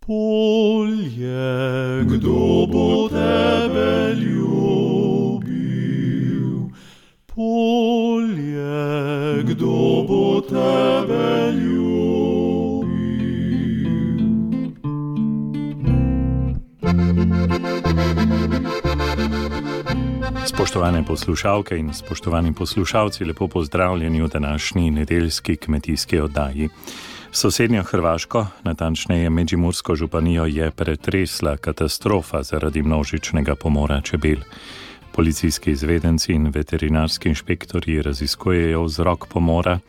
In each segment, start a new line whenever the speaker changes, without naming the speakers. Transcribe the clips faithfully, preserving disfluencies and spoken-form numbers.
Polje, kdo bo tebe ljubil? Polje, kdo bo tebe ljubil?
Spoštovane poslušalke in spoštovani poslušalci, lepo pozdravljeni v današnji nedeljski kmetijski oddaji. Sosednjo Hrvaško, natančneje Međimursko županijo, je pretresla katastrofa zaradi množičnega pomora čebel. Policijski izvedenci in veterinarski inšpektorji raziskujejo vzrok pomora.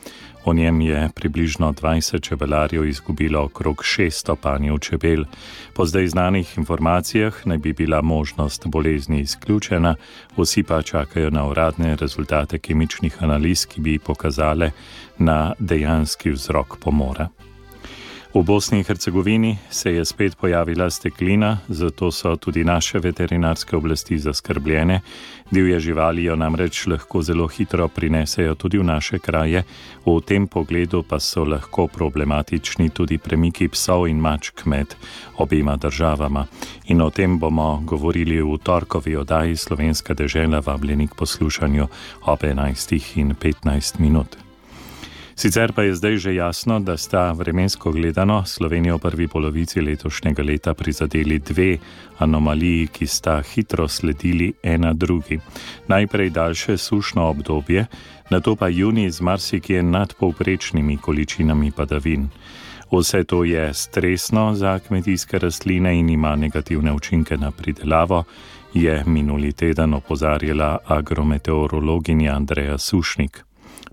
O njem je približno dvajset čebelarjev izgubilo okrog šeststo panjev čebel. Po zdaj znanih informacijah naj bi bila možnost bolezni izključena, vsi pa čakajo na uradne rezultate kemičnih analiz, ki bi pokazale na dejanski vzrok pomora. V Bosni in Hercegovini se je spet pojavila steklina, zato so tudi naše veterinarske oblasti zaskrbljene. Divje živali jo namreč lahko zelo hitro prinesejo tudi v naše kraje, v tem pogledu pa so lahko problematični tudi premiki psov in mačk med obema državama. In o tem bomo govorili v torkovi oddaji Slovenska dežela, vabljeni k poslušanju ob enajstih in petnajst minut. Sicer pa je zdaj že jasno, da sta vremensko gledano Slovenijo v prvi polovici letošnjega leta prizadeli dve anomaliji, ki sta hitro sledili ena drugi. Najprej daljše sušno obdobje, nato pa junij z marsikje nadpovprečnimi količinami padavin. Vse to je stresno za kmetijske rastline in ima negativne učinke na pridelavo, je minuli teden opozarjala agrometeorologinja Andreja Sušnik.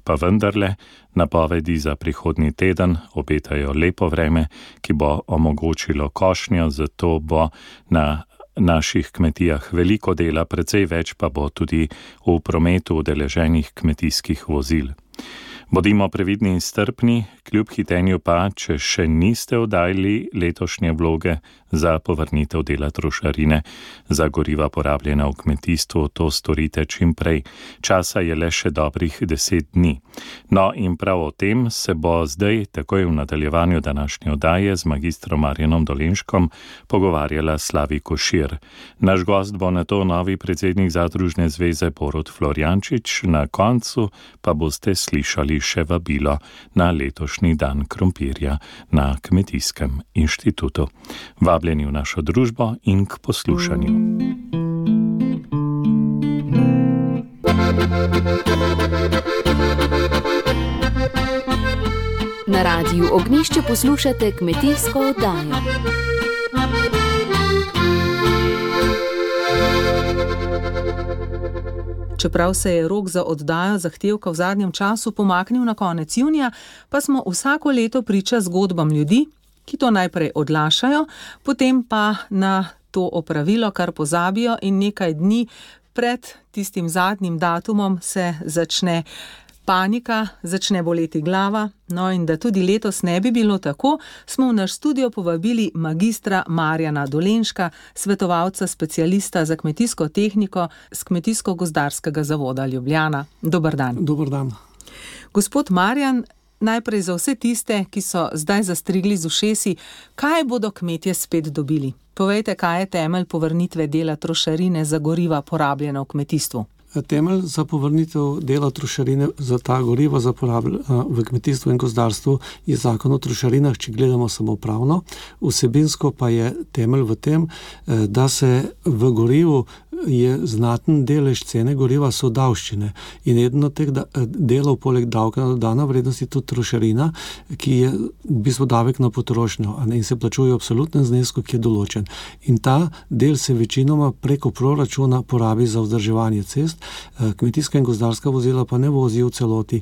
Pa vendarle, napovedi za prihodnji teden obetajo lepo vreme, ki bo omogočilo košnjo, zato bo na naših kmetijah veliko dela, precej več pa bo tudi v prometu udeleženih kmetijskih vozil. Bodimo previdni in strpni, kljub hitenju pa, če še niste oddajali letošnje vloge za povrnitev dela trošarine za goriva porabljena v kmetijstvu, to storite čim prej. Časa je le še dobrih deset dni. No in prav o tem se bo zdaj, takoj v nadaljevanju današnje oddaje, z magistrom Marjanom Dolenškom pogovarjala Slavi Košir. Naš gost bo nato novi predsednik Zadružne zveze Borut Florjančič, na koncu pa boste slišali še vabilo na letošnji dan krompirja na Kmetijskem inštitutu. Vabljeni v našo družbo in k poslušanju.
Na Radiu Ognjišče poslušate kmetijsko oddajo.
Čeprav se je rok za oddajo zahtevka v zadnjem času pomaknil na konec junija, pa smo vsako leto priča zgodbam ljudi, ki to najprej odlašajo, potem pa na to opravilo kar pozabijo in nekaj dni pred tistim zadnjim datumom se začne panika, začne boleti glava. No in da tudi letos ne bi bilo tako, smo v naš studio povabili magistra Marjana Dolenška, svetovalca specialista za kmetijsko tehniko z Kmetijsko-gozdarskega zavoda Ljubljana. Dober dan.
Dober dan.
Gospod Marjan, najprej za vse tiste, ki so zdaj zastrigli z ušesi, kaj bodo kmetje spet dobili? Povejte, kaj je temelj povrnitve dela trošarine za goriva porabljena v kmetijstvu?
Temelj za povrnitev dela trošarine za ta goriva za v kmetijstvu in gozdarstvu je zakon o trošarinah, če gledamo samo pravno. Vsebinsko pa je temelj v tem, da se v gorivu je znaten delež cene goriva so davščine. In eden od teh delov poleg davka na dodano vrednost je tudi trošarina, ki je v bistvu davek na potrošnjo in se plačuje v absolutnem znesku, ki je določen. In ta del se večinoma preko proračuna porabi za vzdrževanje cest. Kmetijska in gozdarska vozila pa ne vozijo v celoti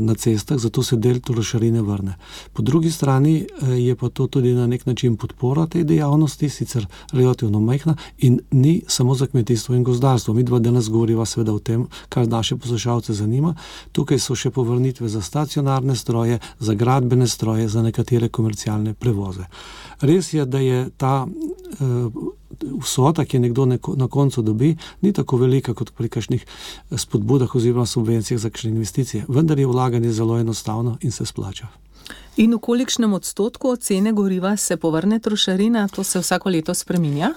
na cestah, zato se del trošarine vrne. Po drugi strani je pa to tudi na nek način podpora tej dejavnosti, sicer relativno majhna in ni samo za kmetijstvo in gozdarstvo. Mi dva danes govoriva seveda o tem, kar naše poslušalce zanima. Tukaj so še povrnitve za stacionarne stroje, za gradbene stroje, za nekatere komercialne prevoze. Res je, da je ta vsota, ki je nekdo na koncu dobi, ni tako velika kot pri kakšnih spodbudah oziroma subvencijah za kakšne investicije. Vendar je vlaganje zelo enostavno in se splača.
In v kolikšnem odstotku od cene goriva se povrne trošarina? To se vsako leto spreminja?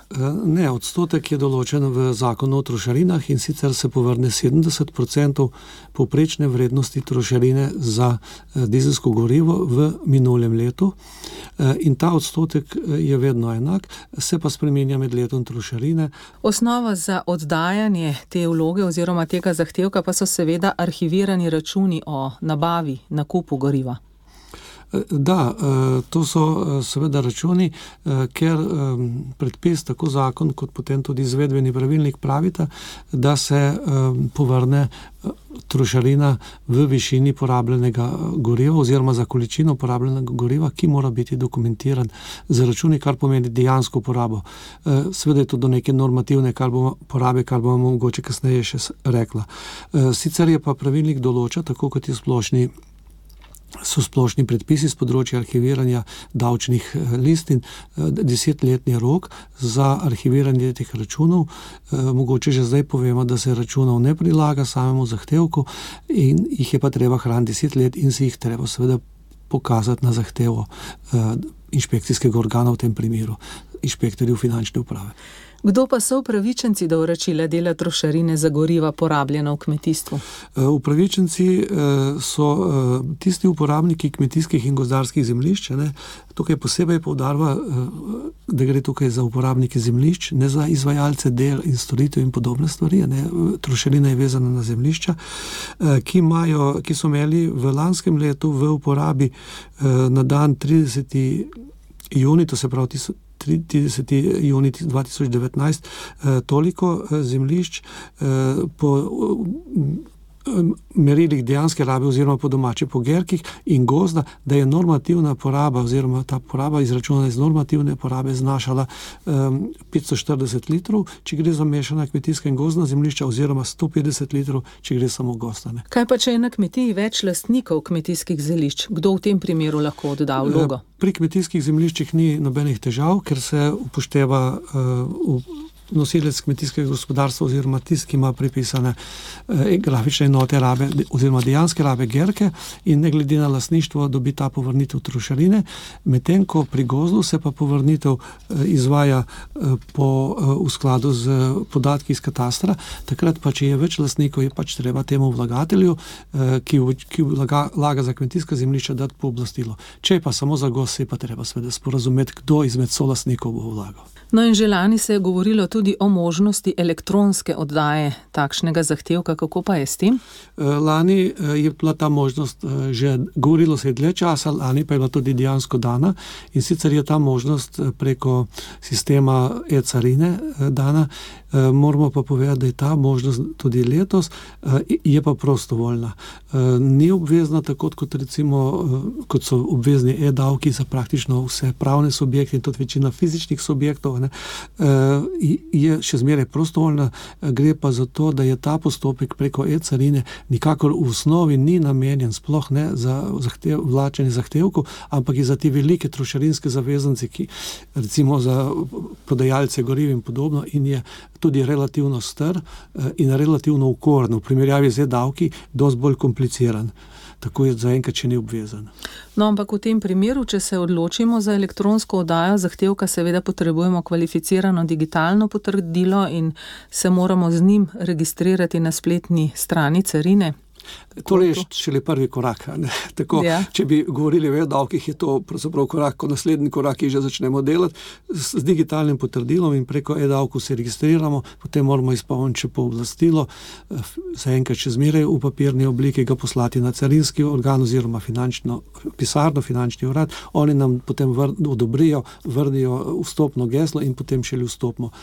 Ne, odstotek je določen v zakonu o trošarinah in sicer se povrne sedemdeset procentov povprečne vrednosti trošarine za dizelsko gorivo v minulem letu. In ta odstotek je vedno enak, se pa spreminja med letom trošarine.
Osnova za oddajanje te vloge oziroma tega zahtevka pa so seveda arhivirani računi o nabavi, nakupu goriva.
Da, to so seveda računi, ker predpis, tako zakon kot potem tudi izvedbeni pravilnik pravita, da se povrne trošarina v višini porabljenega goriva oziroma za količino porabljenega goriva, ki mora biti dokumentiran z računi, kar pomeni dejansko porabo. Seveda je to do neke normativne kar bomo, porabe, kar bomo mogoče kasneje še rekla. Sicer je pa pravilnik določa, tako kot je splošni so splošni predpisi z področja arhiviranja davčnih listin, desetletni rok za arhiviranje teh računov. Mogoče že zdaj povemo, da se računov ne prilaga samemu zahtevku in jih je pa treba hraniti deset let in si jih treba seveda pokazati na zahtevo inšpekcijskega organa, v tem primeru inšpektorju finančne uprave.
Kdo pa so upravičenci do vračila dela trošarine za goriva porabljena v kmetijstvu?
Upravičenci so tisti uporabniki kmetijskih in gozdarskih zemljišč. Ne. Tukaj posebej poudarva, da gre tukaj za uporabnike zemljišč, ne za izvajalce del in storitev in podobne stvari. Ne. Trošarina je vezana na zemljišča, ki, imajo, ki so imeli v lanskem letu v uporabi na dan trideseti junij, to se pravi trideseti junij dva tisoč devetnajst, toliko zemljišč po merilih dejanske rabe oziroma po domače po gerkih in gozda, da je normativna poraba oziroma ta poraba izračunana iz normativne porabe znašala um, petsto štirideset litrov, če gre za mešana kmetijska in gozdna zemljišča, oziroma sto petdeset litrov, če gre samo gozdane.
Kaj pa, če je na kmetiji več lastnikov kmetijskih zemljišč? Kdo v tem primeru lahko odda vlogo?
Pri kmetijskih zemljiščih ni nobenih težav, ker se upošteva uh, v nosilec kmetijskega gospodarstva oziroma tisti, ki ima pripisane eh, grafične enote rabe oziroma dejanske rabe gerke in ne glede na lastništvo dobi ta povrnitev trošarine, medtem ko pri gozdu se pa povrnitev eh, izvaja eh, po, eh, v skladu z podatki iz katastra. Takrat pa, če je več lastnikov, je pač treba temu vlagatelju, eh, ki, ki vlaga, vlaga za kmetijska zemljišča, dati pooblastilo. Če je pa samo za gozd, se pa treba seveda sporazumeti, kdo izmed solastnikov bo vlagal.
No in že lani se je govorilo tudi o možnosti elektronske oddaje takšnega zahtevka. Kako pa je s tem?
Lani je bila ta možnost, že govorilo se je dlje časa, lani pa je bila tudi dejansko dana in sicer je ta možnost preko sistema e-carine dana. Moramo pa povedati, da je ta možnost tudi letos, je pa prostovoljna. Ni obvezna tako, kot recimo, kot so obvezni e-davki za praktično vse pravne subjekte in tudi večina fizičnih subjektov, ne, je še zmeraj prostovoljna, gre pa za to, da je ta postopek preko e-carine nikakor v osnovi ni namenjen sploh ne za zahtev, vlačenje zahtevkov, ampak je za te velike trošarinske zavezance, ki recimo za prodajalce goriv in podobno, in je tudi relativno star in relativno ukoren, v primerjavi z e-davki dosti bolj kompliciran. Tako je zaenkrat še ni obvezan.
No, ampak v tem primeru, če se odločimo za elektronsko oddajo zahtevka, seveda potrebujemo kvalificirano digitalno potrdilo in se moramo z njim registrirati na spletni strani carine.
To je šele prvi korak. Ne? Tako, ja. Če bi govorili o e-davkih, je to pravzaprav korak, ko naslednji korak, ki že začnemo delati z, z digitalnim potrdilom in preko e-davku se registriramo, potem moramo izpolniti še pooblastilo, zaenkrat še zmeraj v papirni obliki, ga poslati na carinski organ oziroma finančno pisarno, finančni urad. Oni nam potem vr, odobrijo, vrnijo vstopno geslo in potem šele vstopimo.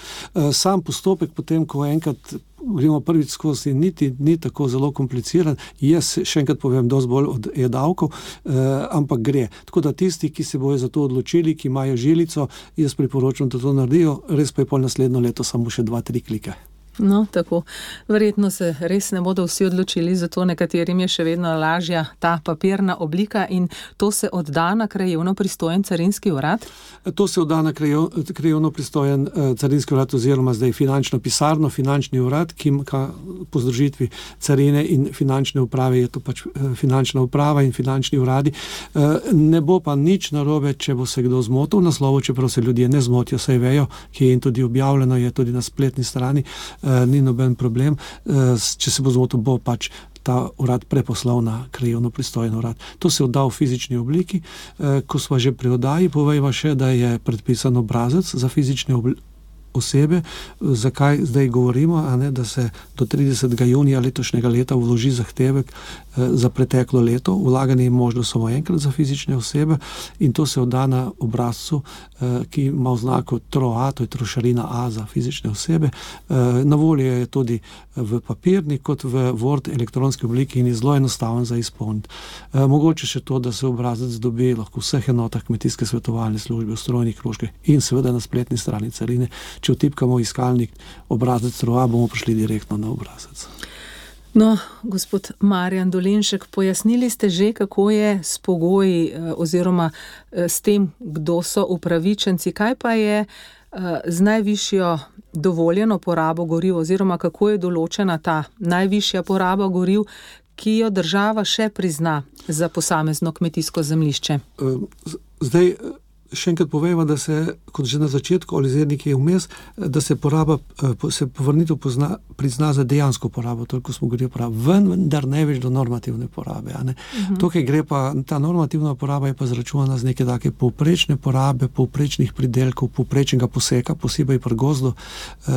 Sam postopek potem, ko enkrat gremo prvič skozi, niti ni tako zelo kompliciran. Jaz še enkrat povem, dosti bolj od e-davkov, eh, ampak gre. Tako da tisti, ki se bojo za to odločili, ki imajo žilico, jaz priporočam, da to naredijo, res pa je pol naslednjo leto samo še dva, tri klike.
No, tako. Verjetno se res ne bodo vsi odločili, zato nekaterim je še vedno lažja ta papirna oblika in to se odda na krajevno pristojen carinski urad?
To se odda na krajevno pristojen carinski urad oziroma zdaj finančno pisarno, finančni urad, ki po združitvi carine in finančne uprave je to pač finančna uprava in finančni uradi. Ne bo pa nič narobe, če bo se kdo zmotil v naslovu, čeprav se ljudje ne zmotijo, saj vejo, ki je in tudi objavljeno, je tudi na spletni strani, ni noben problem. Če se bo zmotil, bo pač ta urad preposlal na krajevno pristojen urad. To se odda v fizični obliki. Ko smo že pri oddaji, povejva še, da je predpisan obrazec za fizične oblike osebe. Zakaj zdaj govorimo, a ne, da se do tridesetega junija letošnjega leta vloži zahtevek za preteklo leto. Vlaganje je možno samo enkrat za fizične osebe in to se odda na obrazcu, ki ima oznako T R O A, to je trošarina A za fizične osebe. Na voljo je tudi v papirni kot v Word elektronski obliki in je zelo enostaven za izpolniti. Mogoče še to, da se obrazec dobi lahko v vseh enotah kmetijske svetovalne službe, v strojnih krožkih in seveda na spletni strani carine. Če vtipkamo iskalnik obrazec T R O A, bomo prišli direktno na obrazec.
No, gospod Marjan Dolenšek, pojasnili ste že, kako je s pogoji oziroma s tem, kdo so upravičenci. Kaj pa je z najvišjo dovoljeno porabo goriv oziroma kako je določena ta najvišja poraba goriv, ki jo država še prizna za posamezno kmetijsko zemljišče?
Zdaj, še enkrat povejva, da se, kot že na začetku, ali zdaj nekje vmes, da se poraba, se povrnitev pozna, prizna za dejansko porabo, toliko smo govorili porabo, vendar ne več do normativne porabe. A ne? Uh-huh. Tukaj gre pa, ta normativna poraba je pa zračunana z neke take povprečne porabe, povprečnih pridelkov, povprečnega poseka, posebej pri gozdu,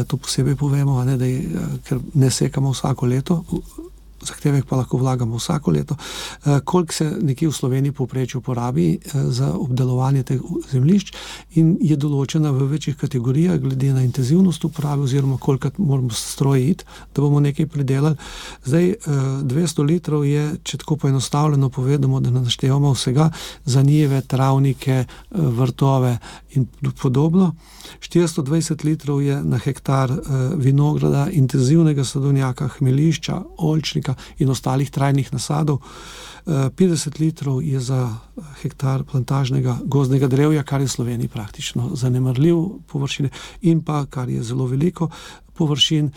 to posebej povemo, a ne, da je, ker ne sekamo vsako leto, zahtevek pa lahko vlagamo vsako leto, koliko se nekje v Sloveniji povprečju porabi za obdelovanje teh zemljišč in je določena v večjih kategorijah glede na intenzivnost uporabe oziroma koliko moramo stroji iti, da bomo nekaj pridelali. Zdaj, dvesto litrov je, če tako poenostavljeno povedamo, da naštevamo vsega za njive, travnike, vrtove in podobno. štiristo dvajset litrov je na hektar vinograda, intenzivnega sadovnjaka, hmelišča, oljčnika in ostalih trajnih nasadov. petdeset litrov je za hektar plantažnega gozdnega drevja, kar je v Sloveniji praktično zanemarljiv površine in pa, kar je zelo veliko površin,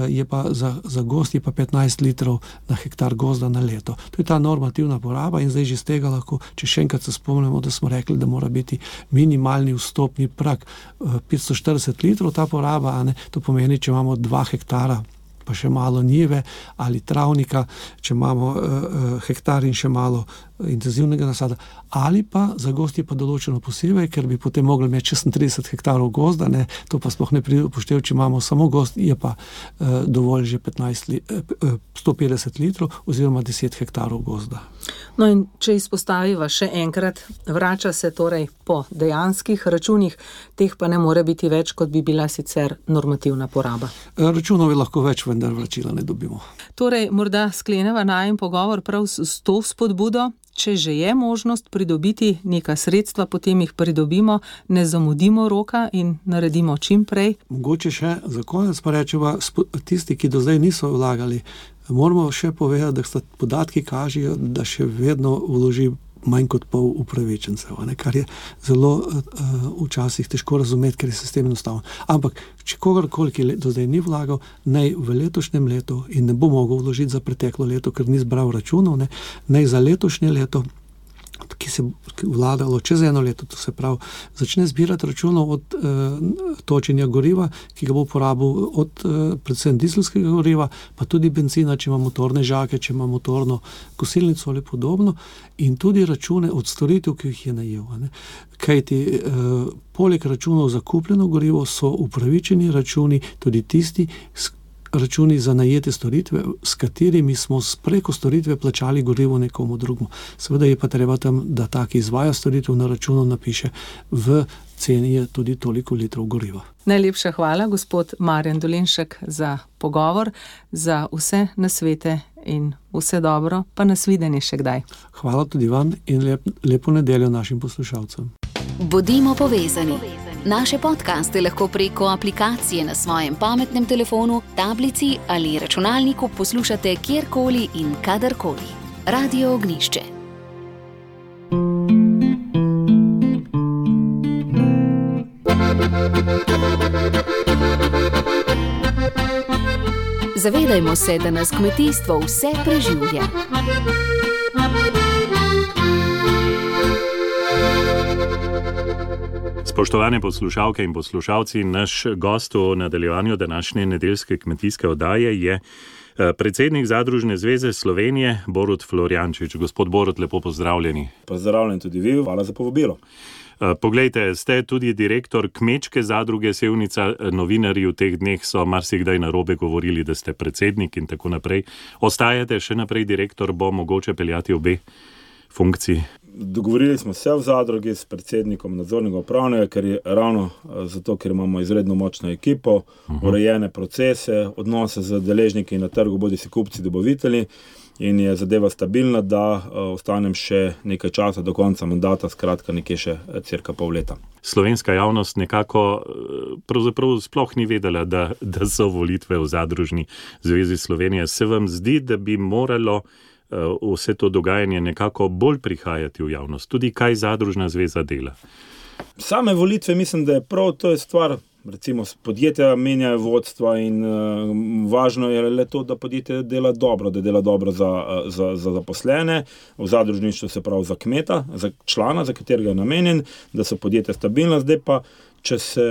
je pa za, za gozd je pa petnajst litrov na hektar gozda na leto. To je ta normativna poraba in zdaj že z tega lahko, če še enkrat se spomnimo, da smo rekli, da mora biti minimalni vstopni prag petsto štirideset litrov ta poraba, a ne, to pomeni, če imamo dva hektara pa še malo njive ali travnika, če imamo uh, hektar in še malo intenzivnega nasada, ali pa za gozd je pa določeno posebej, ker bi potem mogli imeti šestintrideset hektarov gozda, ne, to pa sploh ne pride upoštev, če imamo samo gozd, je pa uh, dovolj že petnajst li, uh, sto petdeset litrov oziroma deset hektarov gozda.
No in če izpostaviva še enkrat, vrača se torej po dejanskih računih, teh pa ne more biti več, kot bi bila sicer normativna poraba.
Računov je lahko več, vendar vračila ne dobimo.
Torej, morda skleneva najin pogovor prav s, s to spodbudo, če že je možnost pridobiti neka sredstva, potem jih pridobimo, ne zamudimo roka in naredimo čim prej.
Mogoče še za konec pa rečeva, tisti, ki do zdaj niso vlagali, moramo še povedati, da podatki kažejo, da še vedno vloži manj kot pol upravičencev, ne, kar je zelo uh, včasih težko razumeti, ker je sistem enostaven. Ampak, če kogarkoli, ki do zdaj ni vlagal, naj v letošnjem letu in ne bo mogel vložiti za preteklo leto, ker ni zbral računov, ne, naj za letošnje leto, ki se vladalo čez eno leto, to se pravi, začne zbirati računov od uh, točenja goriva, ki ga bo uporabil od uh, predvsem dizelskega goriva, pa tudi benzina, če ima motorne žake, če ima motorno kosilnico ali podobno, in tudi račune od storitev, ki jih je najel. Ne. Kajti uh, poleg računov za kupljeno gorivo so upravičeni računi tudi tisti, računi za najete storitve, s katerimi smo preko storitve plačali gorivo nekomu drugemu. Seveda je pa treba tam, da tak izvaja storitev na računu napiše, v ceni je tudi toliko litrov goriva.
Najlepša hvala, gospod Marjan Dolenšek, za pogovor, za vse nasvete in vse dobro, pa nasvidenje še kdaj.
Hvala tudi vam in lep, lepo nedeljo našim poslušalcem.
Bodimo povezani. Naše podcaste lahko preko aplikacije na svojem pametnem telefonu, tablici ali računalniku poslušate kjerkoli in kadarkoli. Radio Ognišče. Zavedajmo se, da nas kmetijstvo vse preživlja.
Spoštovane poslušalke in poslušalci, naš gost v nadaljevanju današnje nedeljske kmetijske oddaje je predsednik Zadružne zveze Slovenije, Borut Florjančič. Gospod Borut, lepo pozdravljeni.
Pozdravljen tudi vi, hvala za povabilo.
Poglejte, ste tudi direktor Kmečke zadruge Sevnica. Novinarji v teh dneh so marsikdaj narobe govorili, da ste predsednik in tako naprej. Ostajate še naprej direktor, bo mogoče peljati obe funkciji?
Dogovorili smo se v zadrugi s predsednikom nadzornega upravnega, ker je ravno zato, ker imamo izredno močno ekipo, uh-huh. urejene procese, odnose z deležniki na trgu, bodi si kupci, dobavitelji, in je zadeva stabilna, da uh, ostanem še nekaj časa do konca mandata, skratka nekje še cirka pol leta.
Slovenska javnost nekako pravzaprav sploh ni vedela, da, da so volitve v Zadružni zvezi Slovenije. Se vam zdi, da bi moralo uh, vse to dogajanje nekako bolj prihajati v javnost? Tudi kaj Zadružna zveza dela?
Same volitve mislim, da je prav, to je stvar. Recimo podjetja menjajo vodstva in uh, važno je le to, da podjetje dela dobro, da dela dobro za, za, za zaposlene, v zadružništvu se pravi za kmeta, za člana, za katerega je namenjen, da so podjetja stabilna. Zdaj pa, če se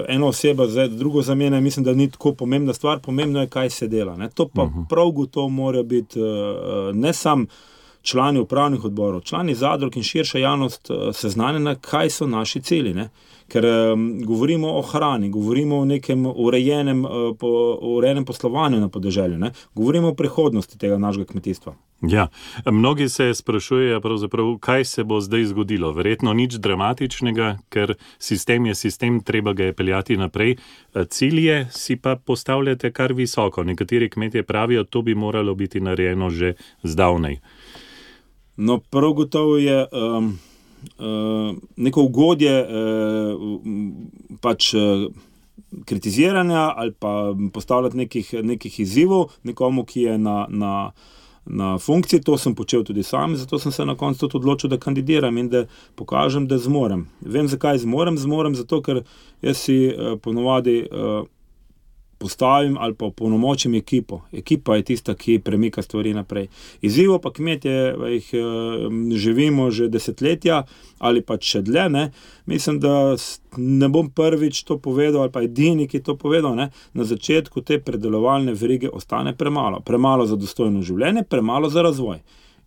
ena oseba z drugo zamenja, mislim, da ni tako pomembna stvar, pomembno je, kaj se dela. Ne? To pa uh-huh. prav gotovo mora biti uh, ne sam člani upravnih odborov, člani zadrug in širša javnost uh, seznanjena, kaj so naši cilji, ne? Ker um, govorimo o hrani, govorimo o nekem urejenem, uh, po, urejenem poslovanju na podeželju, ne? Govorimo o prihodnosti tega našega kmetijstva.
Ja, mnogi se sprašujejo pravzaprav, kaj se bo zdaj zgodilo. Verjetno nič dramatičnega, ker sistem je sistem, treba ga je peljati naprej. Cilje si pa postavljate kar visoko. Nekateri kmetje pravijo, to bi moralo biti narejeno že zdavnaj.
No, prav gotovo je um, uh, neko ugodje uh, pač uh, kritiziranja ali pa postavljati nekih, nekih izzivov nekomu, ki je na, na, na funkciji. To sem počel tudi sam, zato sem se na koncu tudi odločil, da kandidiram in da pokažem, da zmorem. Vem, zakaj zmorem? Zmorem zato, ker jaz si uh, ponovadi uh, postavim ali pa polnomočim ekipo. Ekipa je tista, ki premika stvari naprej. Izzivo pa kmetje, jih živimo že desetletja ali pa še dlje, ne. Mislim, da ne bom prvič to povedal ali pa edini, ki to povedal, ne. Na začetku te predelovalne verige ostane premalo. Premalo za dostojno življenje, premalo za razvoj.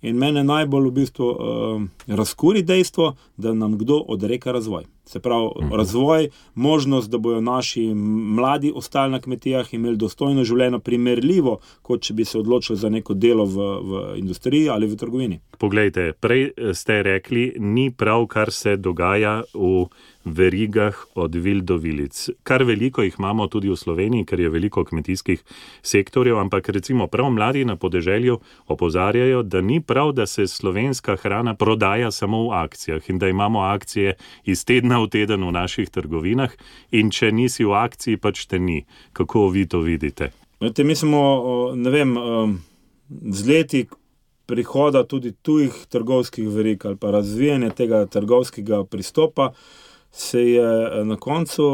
In mene najbolj v bistvu uh, razkuri dejstvo, da nam kdo odreka razvoj. Se pravi, uh-huh. razvoj, možnost, da bojo naši mladi ostali na kmetijah, imeli dostojno življenje, primerljivo, kot če bi se odločili za neko delo v, v industriji ali v trgovini.
Poglejte, prej ste rekli, ni prav, kar se dogaja v verigah od vil do vilic. Kar veliko jih imamo tudi v Sloveniji, ker je veliko kmetijskih sektorjev, ampak recimo prav mladi na podeželju opozarjajo, da ni prav, da se slovenska hrana prodaja samo v akcijah in da imamo akcije iz tedna v teden v naših trgovinah in če nisi v akciji, pač te ni. Kako vi to vidite?
Vete, mi smo, ne vem, z leti prihoda tudi tujih trgovskih verig ali pa razvijanje tega trgovskega pristopa se je na koncu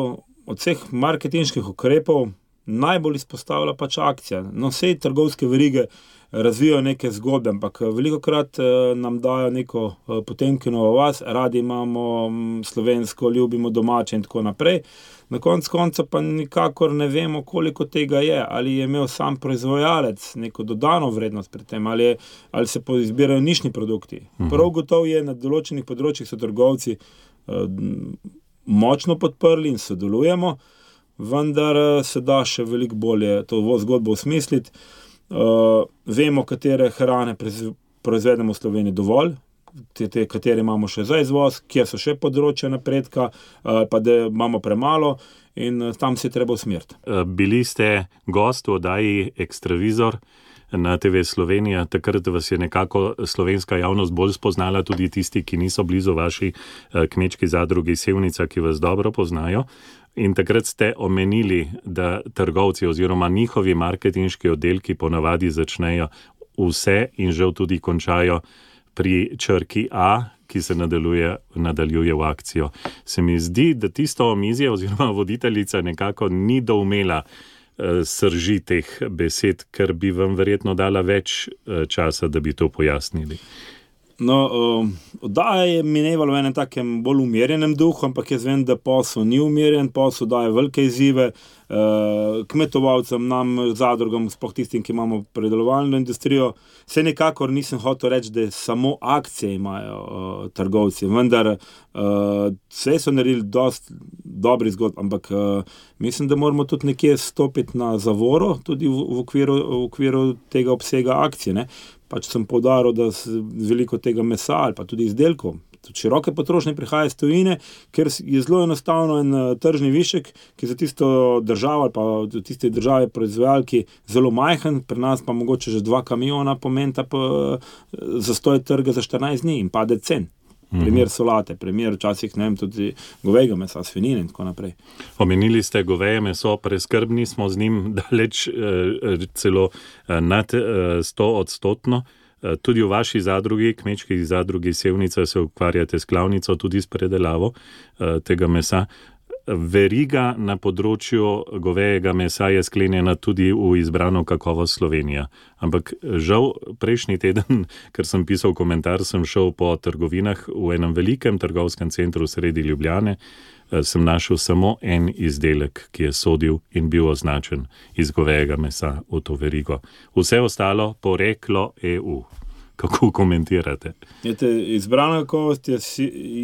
od vseh marketinških ukrepov najbolj izpostavila pač akcija. No, vse trgovske verige razvijajo neke zgodbe, ampak velikokrat nam dajo neko Potemkinovo vas, radi imamo slovensko, ljubimo domače in tako naprej. Na koncu konca pa nikakor ne vemo, koliko tega je, ali je imel sam proizvajalec neko dodano vrednost pri tem, ali, je, ali se izbirajo nišni produkti. Mhm. Prav gotovo je na določenih področjih so trgovci uh, močno podprli in sodelujemo, vendar se da še veliko bolje to zgodbo osmisliti. Uh, vemo, katere hrane proizvedemo v Sloveniji dovolj, te, te, katere imamo še za izvoz, kje so še področja napredka, uh, pa da imamo premalo in uh, tam se je treba usmeriti.
Bili ste gost v oddaji Ekstravizor na te ve Slovenija. Takrat vas je nekako slovenska javnost bolj spoznala, tudi tisti, ki niso blizu vaši kmečki zadrugi Sevnica, ki vas dobro poznajo. In takrat ste omenili, da trgovci oziroma njihovi marketinški oddelki ponavadi začnejo vse in žal tudi končajo pri črki A, ki se nadaljuje, nadaljuje v akcijo. Se mi zdi, da tisto omizje oziroma voditeljica nekako ni doumela uh, srži teh besed, ker bi vam verjetno dala več uh, časa, da bi to pojasnili.
No, uh, oddaja je minevala v enem takem bolj umirjenem duhu, ampak jaz vem, da posel ni umirjen, posel daje velike izzive uh, kmetovalcem, nam, zadrugam, sploh tistim, ki imamo predelovalno industrijo. Se nekakor nisem hotel reči, da samo akcije imajo uh, trgovci, vendar uh, vse so naredili dosti dobri zgodb, ampak uh, mislim, da moramo tudi nekje stopiti na zavoro, tudi v, v, okviru, v okviru tega obsega akcije, ne. Pač sem poudaril, da veliko tega mesa ali pa tudi izdelkov, tudi široke potrošnje prihaja iz tujine, ker je zelo enostavno en tržni višek, ki za tisto državo ali pa tiste države proizvajalki zelo majhen, pri nas pa mogoče že dva kamiona pomenta pa zastoj trga za štirinajst dni in pade cen. Primer solate, primer včasih, ne vem, tudi govejega mesa, svinjine in tako naprej.
Omenili ste goveje meso, preskrbni smo z njim daleč eh, celo eh, nad eh, sto odstotno. Eh, tudi v vaši zadrugi, kmečki zadrugi Sevnica, se ukvarjate s klavnico, tudi s predelavo eh, tega mesa. Veriga na področju govejega mesa je sklenjena tudi v izbrano kakovost Slovenija. Ampak žal prejšnji teden, ker sem pisal komentar, sem šel po trgovinah v enem velikem trgovskem centru sredi Ljubljane, sem našel samo en izdelek, ki je sodil in bil označen iz govejega mesa v to verigo. Vse ostalo poreklo E U. Kako komentirate?
Jete, izbrana kakovost je,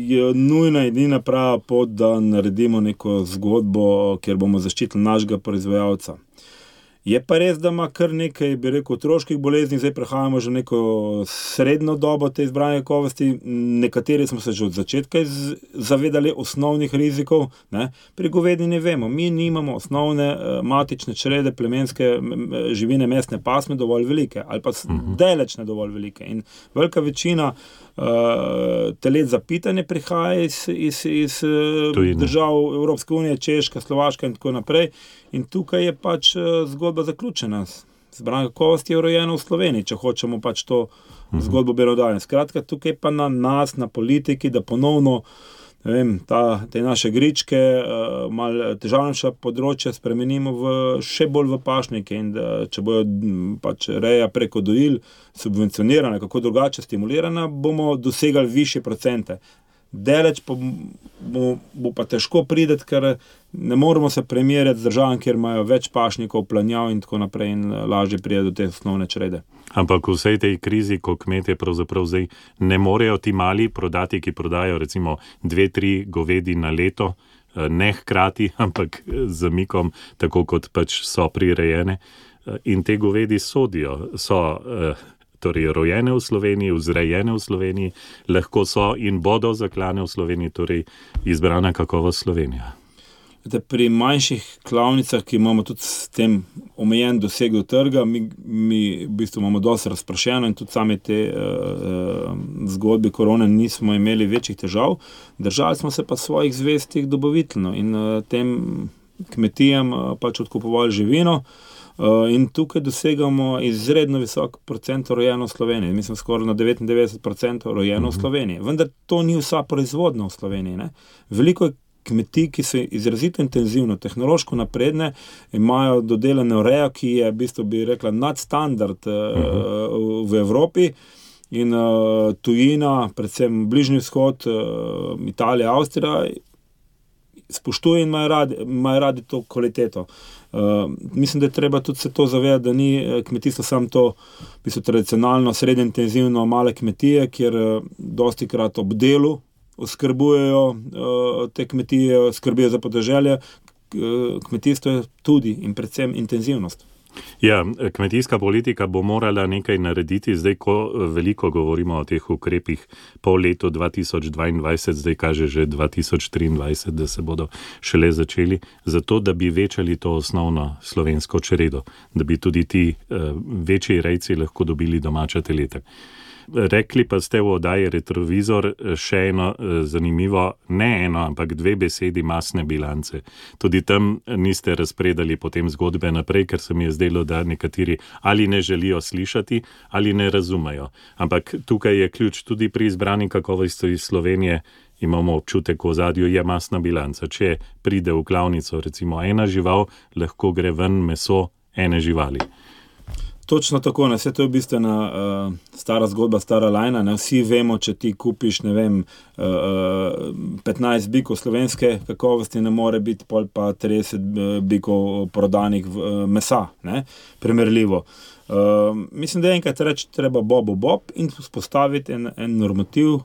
je nujna edina prava pot, da naredimo neko zgodbo, kjer bomo zaščitili našega proizvajalca. Je pa res, da ima kar nekaj, bi rekel, otroških bolezni, zdaj prehajamo že neko srednjo dobo te izbrane kakovosti, nekateri smo se že od začetka zavedali osnovnih rizikov, ne? Pri govedi ne vemo, mi nimamo osnovne matične črede, plemenske živine, mesne pasme dovolj velike, ali pa uh-huh. daleč ne dovolj velike. In velika večina uh, telet za pitanje prihaja iz, iz, iz držav Evropske unije, Češka, Slovaška in tako naprej. In tukaj je pač zgodba zaključena. Izbrana kakovost je rojena v Sloveniji, če hočemo pač to zgodbo belodajati. Skratka, tukaj pa na nas, na politiki, da ponovno ne vem, ta, te naše gričke, uh, malo težavnejša področja spremenimo v, še bolj v pašnike in da, če bojo pač reja preko dojil subvencionirana, kako drugače stimulirana, bomo dosegali višje procente. Deleč pa bo, bo pa težko prideti, ker ne moramo se primerjati z državami, kjer imajo več pašnikov, planjav in tako naprej in lažje pride do te osnovne črede.
Ampak v vsej tej krizi, ko kmetje pravzaprav zdaj ne morejo ti mali prodati, ki prodajo recimo dve, tri govedi na leto, ne hkrati, ampak z zamikom, tako kot pač so prirejene. In te govedi sodijo, so torej rojene v Sloveniji, vzrejene v Sloveniji, lahko so in bodo zaklane v Sloveniji, torej izbrana kakovost Slovenija.
Pri manjših klavnicah, ki imamo tudi s tem omejen doseg do trga, mi, mi v bistvu imamo dosti razprašeno in tudi same te uh, zgodbe korone nismo imeli večjih težav. Držali smo se pa svojih zvestih dobaviteljev in uh, tem kmetijam uh, pač odkupovali živino. Uh, in tukaj dosegamo izredno visok procent rojeno v Sloveniji. Mislim, skoraj na devetindevetdeset procentov rojeno v Sloveniji. Vendar to ni vsa proizvodnja v Sloveniji. Ne? Veliko je kmetij, ki so izrazito intenzivno, tehnološko napredne, imajo dodelane rejo, ki je, v bistvu bi rekla, nadstandard uh, v Evropi in uh, tujina, predvsem Bližnji vzhod, uh, Italija, Avstrija, spoštuje in imajo radi, imajo radi to kvaliteto. Uh, mislim, da je treba tudi se to zavedati, da ni kmetijstvo samo to, v bistvu tradicionalno, srednje intenzivno male kmetije, kjer uh, dosti krat ob delu oskrbujejo uh, te kmetije, skrbijo za podeželje. Uh, kmetijstvo je tudi in predvsem intenzivnost.
Ja, kmetijska politika bo morala nekaj narediti, zdaj, ko veliko govorimo o teh ukrepih po letu dva tisoč dvaindvajset, zdaj kaže že dva tisoč triindvajset, da se bodo šele začeli, zato da bi večali to osnovno slovensko čredo, da bi tudi ti uh, večji rejci lahko dobili domača teleta. Rekli pa ste v oddaji Retrovizor še eno zanimivo, ne eno, ampak dve besedi masne bilance. Tudi tam niste razpredali potem zgodbe naprej, ker se mi je zdelo, da nekateri ali ne želijo slišati, ali ne razumejo. Ampak tukaj je ključ tudi pri izbrani kakovosti iz Slovenije, imamo občutek v ozadju, je masna bilanca. Če pride v klavnico recimo ena žival, lahko gre ven meso ene živali.
Točno tako, ne, vse to je bistvena uh, stara zgodba, stara lajna, ne, vsi vemo, če ti kupiš, ne vem, uh, petnajst bikov slovenske kakovosti, ne more biti pol pa trideset bikov prodanih v, uh, mesa, ne, primerljivo. Uh, mislim, da je enkrat reči treba bobo bob in spostaviti en, en normativ,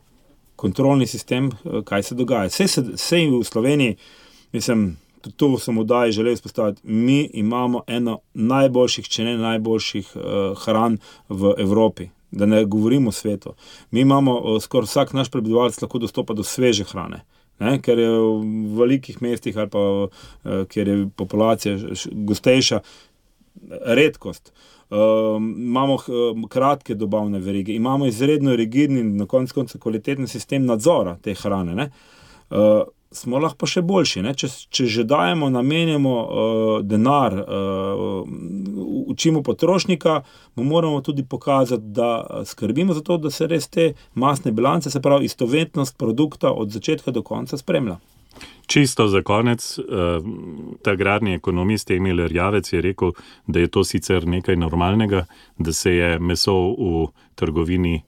kontrolni sistem, uh, kaj se dogaja. Vse, se, vse v Sloveniji, mislim, to sem vdaj želel izpostaviti. Mi imamo eno najboljših, če ne najboljših uh, hran v Evropi, da ne govorimo o svetu. Mi imamo, uh, skoraj vsak naš prebivalec lahko dostopa do sveže hrane, ne? Ker je v velikih mestih ali pa uh, kjer je populacija gostejša, redkost. Uh, imamo uh, kratke dobavne verige, imamo izredno rigidni in na koncu konca kvaliteten sistem nadzora te hrane, ne? Uh, smo lahko pa še boljši, ne? Če, če že dajemo, namenjamo uh, denar, uh, učimo potrošnika, mu moramo tudi pokazati, da skrbimo za to, da se res te masne bilance, se pravi istovetnost produkta od začetka do konca spremlja.
Čisto za konec, ta agrarni ekonomist Emil Erjavec je rekel, da je to sicer nekaj normalnega, da se je meso v trgovini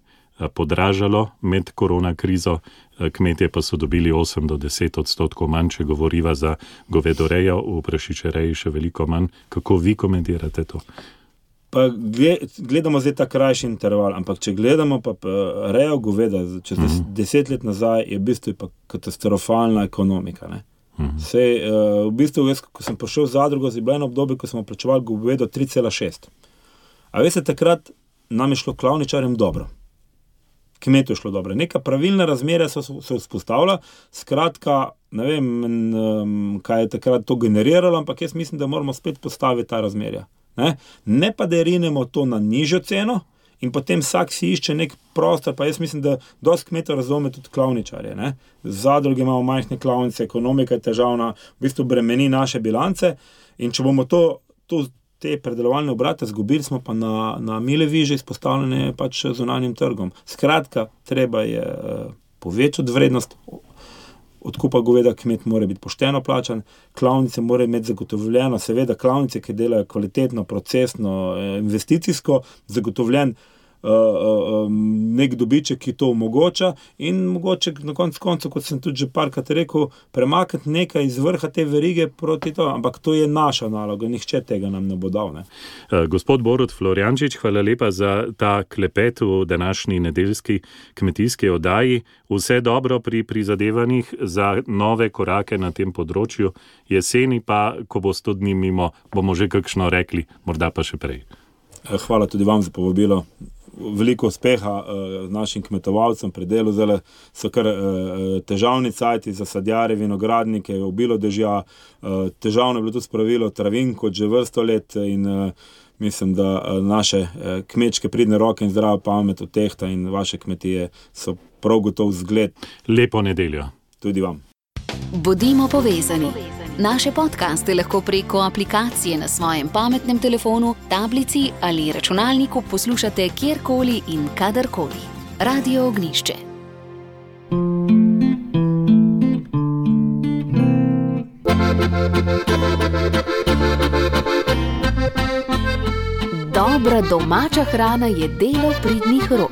podražalo med korona krizo, kmetje pa so dobili osem do deset odstotkov manj, če govoriva za govedorejo, v prašičereji še veliko manj. Kako vi komentirate to?
Pa gledamo zdaj ta krajši interval, ampak če gledamo pa rejo goveda, čez mm-hmm. deset let nazaj je v bistvu pa katastrofalna ekonomika, ne? Mm-hmm. Sej, uh, v bistvu, jaz, ko sem prišel v zadrugo, je bilo eno obdobje, ko smo plačevali govedo tri cela šest. A veste, takrat nam je šlo klavničarjem dobro. Kmetu je šlo dobro. Neka pravilna razmerja so se vzpostavila, skratka, ne vem, kaj je takrat to generiralo, ampak jaz mislim, da moramo spet postaviti ta razmerja. Ne, ne pa da rinemo to na nižjo ceno in potem vsak si išče nek prostor, pa jaz mislim, da dosti kmetov razume tudi klavničarje. Ne. Zadruge imamo majhne klavnice, ekonomika je težavna, v bistvu bremeni naše bilance in če bomo to, to te predelovalne obrate zgubili, smo pa na, na mile viže izpostavljene pač zunanjim trgom. Skratka, treba je uh, povečati vrednost odkupa goveda, kmet mora biti pošteno plačan, klavnice mora imeti zagotovljeno, seveda klavnice, ki delajo kvalitetno, procesno, investicijsko, zagotovljen uh, uh, nek dobiček, ki to omogoča in mogoče na koncu koncu, kot sem tudi že parkrat rekel, premakniti nekaj iz vrha te verige proti to, ampak to je naša naloga, nihče tega nam ne bo dal. Ne?
Uh, gospod Borut Florjančič, hvala lepa za ta klepet v današnji nedeljski kmetijski oddaji. Vse dobro pri prizadevanjih za nove korake na tem področju. Jeseni pa, ko bo sto dni mimo, bomo že kakšno rekli, morda pa še prej.
Hvala tudi vam za povabilo. Veliko uspeha uh, našim kmetovalcem pri delu. Zdaj so kar uh, težavni cajti za sadjare, vinogradnike, obilo dežja. Uh, težavno je bilo tudi spravilo travin kot že vrsto let in uh, mislim, da uh, naše uh, kmečke pridne roke in zdrava pamet odtehta in vaše kmetije so prav gotov zgled.
Lepo nedeljo.
Tudi vam.
Bodimo povezani. Naše podcaste lahko preko aplikacije na svojem pametnem telefonu, tablici ali računalniku poslušate kjerkoli in kadarkoli. Radio Ognišče. Dobra domača hrana je delo pridnih rok.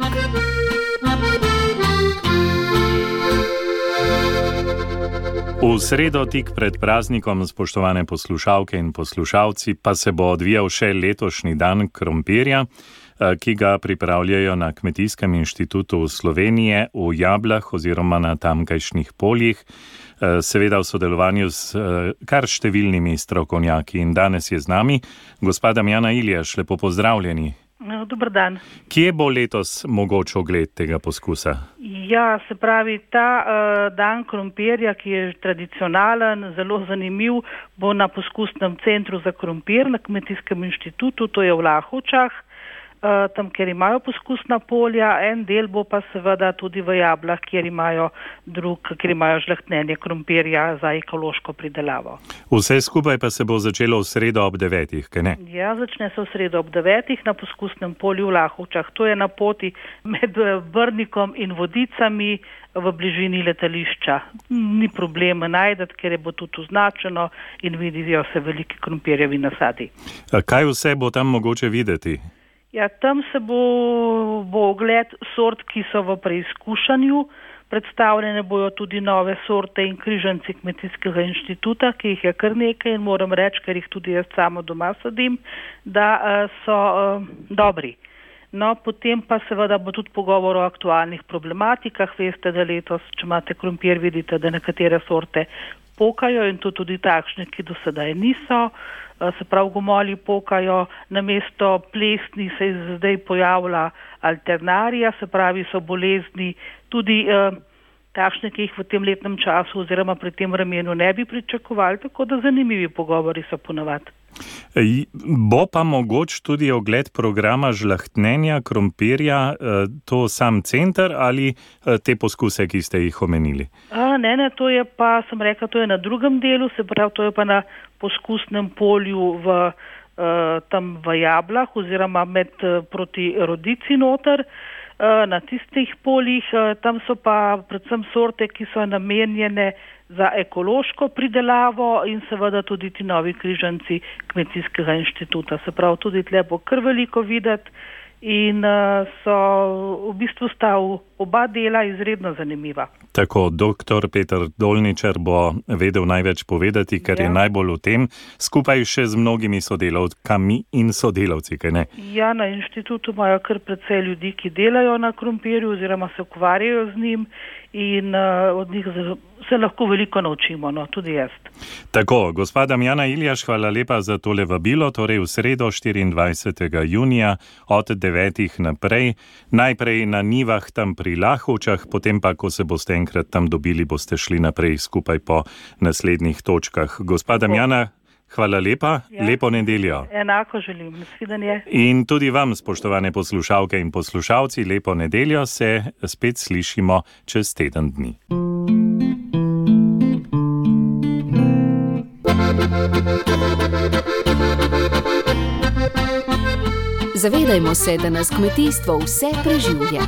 V sredo tik pred praznikom, spoštovane poslušalke in poslušalci, pa se bo odvijal še letošnji dan krompirja, ki ga pripravljajo na Kmetijskem inštitutu Slovenije v Jablah oziroma na tamkajšnjih poljih. seveda v sodelovanju s kar številnimi strokovnjaki. In danes je z nami gospa Damjana Iljaš, lepo pozdravljeni.
Dober dan.
Kje bo letos mogoč ogled tega poskusa?
Ja, se pravi, ta uh, dan krompirja, ki je tradicionalen, zelo zanimiv, bo na poskusnem centru za krompir na Kmetijskem inštitutu, to je v Lahovčah, uh, tam, kjer imajo poskusna polja, en del bo pa seveda tudi v Jablah, kjer imajo, drug, kjer imajo žlahtnjenje krompirja za ekološko pridelavo.
Vse skupaj pa se bo začelo v sredo ob devetih, kaj ne?
Ja, začne se v sredo ob devetih na poskusnem polju v Lahovčah. To je na poti med Brnikom in Vodicami v bližini letališča. Ni problema najdeti, ker je bo tudi označeno in vidijo se veliki krompirjevi nasadi.
Kaj vse bo tam mogoče videti?
Ja, tam se bo, bo ogled sort, ki so v preizkušanju. Predstavljene bojo tudi nove sorte in križanci Kmetijskega inštituta, ki jih je kar nekaj in moram reči, ker jih tudi jaz samo doma sadim, da uh, so uh, dobri. No, potem pa seveda bo tudi pogovor o aktualnih problematikah. Veste, da letos, če imate krompir, vidite, da nekatere sorte pokajo in to tudi takšne, ki do sedaj niso. Se pravi, gomolji pokajo, namesto plesni se je zdaj pojavila alternarija, se pravi, so bolezni tudi eh, takšne, ki jih v tem letnem času oziroma pri tem vremenu ne bi pričakovali, tako da zanimivi pogovori so ponavadi.
Bo pa mogoč tudi ogled programa žlahtnenja krompirja, to sam center ali te poskuse, ki ste jih omenili?
A, ne, ne, to je pa, sem rekla, to je na drugem delu, se pravi, to je pa na poskusnem polju v, uh, tam v Jablah oziroma med uh, proti Rodici noter, uh, na tistih poljih, uh, tam so pa predvsem sorte, ki so namenjene za ekološko pridelavo in seveda tudi ti novi križanci Kmetijskega inštituta. Se pravi, tudi tle bo kar veliko videti in uh, so v bistvu sta oba dela izredno zanimiva.
Tako, doktor Peter Dolničar bo vedel največ povedati, ker ja. je najbolj v tem, skupaj še z mnogimi sodelavkami in sodelavci, kaj ne?
Ja, na inštitutu imajo kar precej ljudi, ki delajo na krompirju oziroma se ukvarjajo z njim in uh, od njih se lahko veliko naučimo, no, tudi jaz.
Tako, gospa Damjana Iljaš, hvala lepa za tole vabilo, torej v sredo štiriindvajsetega junija od devetih naprej, najprej na njivah tam pri Lahovčah, potem pa, ko se boste enkrat tam dobili, boste šli naprej skupaj po naslednjih točkah. Gospa Damjana, hvala lepa, ja. Lepo nedeljo.
Enako želim, nasvidenje.
In tudi vam, spoštovane poslušalke in poslušalci, lepo nedeljo, se spet slišimo čez teden dni.
Zavedajmo se, da nas kmetijstvo vse preživlja.